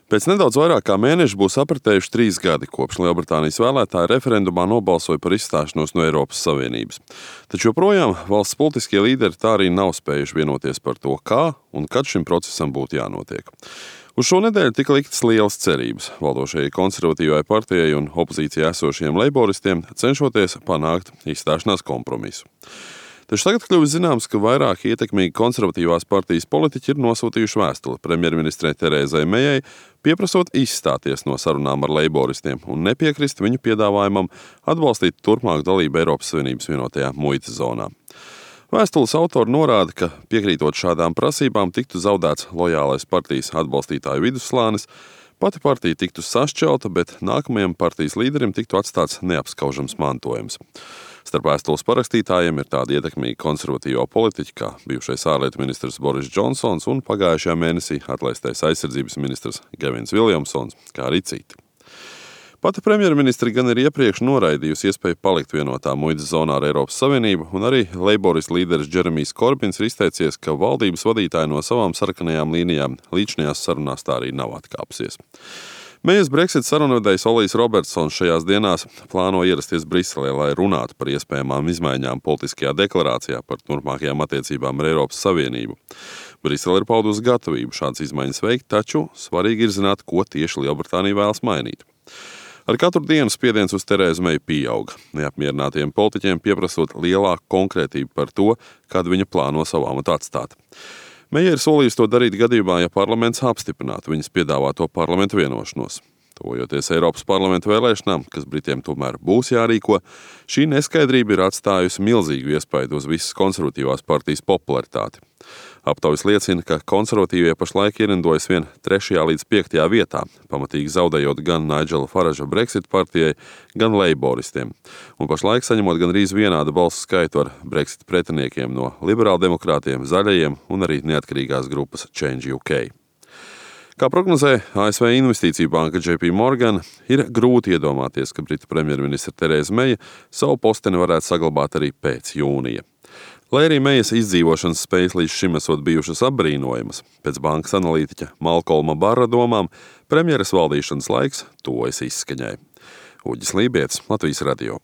Pēc nedaudz vairāk kā mēneša būs apritējuši 3 gadi, kopš Lielbritānijas vēlētāji referendumā nobalsoja par izstāšanos no Eiropas Savienības. Taču joprojām valsts politiskie līderi tā arī nav spējuši vienoties par to, kā un kad šim procesam būtu jānotiek. Uz šo nedēļu tika liktas lielas cerības valdošajai konservatīvai partijai un opozīcijā esošajiem leiboristiem, cenšoties panākt izstāšanās kompromisu. Taču tagad kļuvis zināms, ka vairāki ietekmīgi konservatīvās partijas politiķi ir nosūtījuši vēstuli premjerministrei Terēzai Mejai, pieprasot izstāties no sarunām ar leiboristiem un nepiekrist viņu piedāvājumam atbalstīt turpmāku dalību Eiropas Savienības vienotajā muitas zonā. Vēstules autori norāda, ka piekrītot šādām prasībām tiktu zaudēts lojālais partijas atbalstītāju vidusslānis, pati partija tiktu sašķelta, bet nākamajam partijas līderim tiktu atstāts neapskaužams mantojums. Starp vēstules parakstītājiem ir tādi ietekmīgi konservatīvo politiķi kā bijušais ārlietu ministrs Boris Džonsons un pagājušajā mēnesī atlaistais aizsardzības ministrs Gevins Viljamsons, kā arī citi. Pati premjerministri gan ir iepriekš noraidījusi iespēju palikt vienotā muitas zonā ar Eiropas Savienību, un arī leiboristu līderis Džeremijs Korbins ir izteicies, ka valdības vadītāji no savām sarkanajām līnijām līdzinājās sarunās tā arī nav atkāpsies. Mejas Brexit sarunvedējs Olijs Robertsons šajās dienās plāno ierasties Briselē, lai runātu par iespējamām izmaiņām politiskajā deklarācijā par turpmākajām attiecībām ar Eiropas Savienību. Brisele ir paudusi gatavību šādas izmaiņas veikt, taču svarīgi ir zināt, ko tieši Lielbritānija vēlas mainīt. Ar katru dienu spiediens uz Terēzu Meju pieauga, neapmierinātiem politiķiem pieprasot lielāku konkrētību par to, kad viņa plāno savu amatu atstāt. Meja ir solījusi to darīt gadījumā, ja parlaments apstiprinātu viņas piedāvāto parlamentu vienošanos. Tuvojoties Eiropas parlamenta vēlēšanām, kas Britiem tomēr būs jārīko, šī neskaidrība ir atstājusi milzīgu iespaidu uz visas konservatīvās partijas popularitāti. Aptaujas liecina, ka konservatīvie pašlaik ierindojas vien 3. līdz 5. vietā, pamatīgi zaudējot gan Nigela Faraža Brexit partijai, gan leiboristiem, un pašlaik saņemot gandrīz vienādu balsu skaitu ar Brexit pretiniekiem no liberāldemokrātiem, zaļajiem un arī neatkarīgās grupas Change UK. Kā prognozē ASV investīciju banka JP Morgan, ir grūti iedomāties, ka Britu premjerministra Terēza Meja savu posteni varētu saglabāt arī pēc jūnija. Lai arī Mejas izdzīvošanas spējas līdz šim esot bijušas apbrīnojamas, pēc bankas analītiķa Malkolma Barra domām, premjeras valdīšanas laiks tuvojas izskaņai. Uģis Lībietis, Latvijas radio.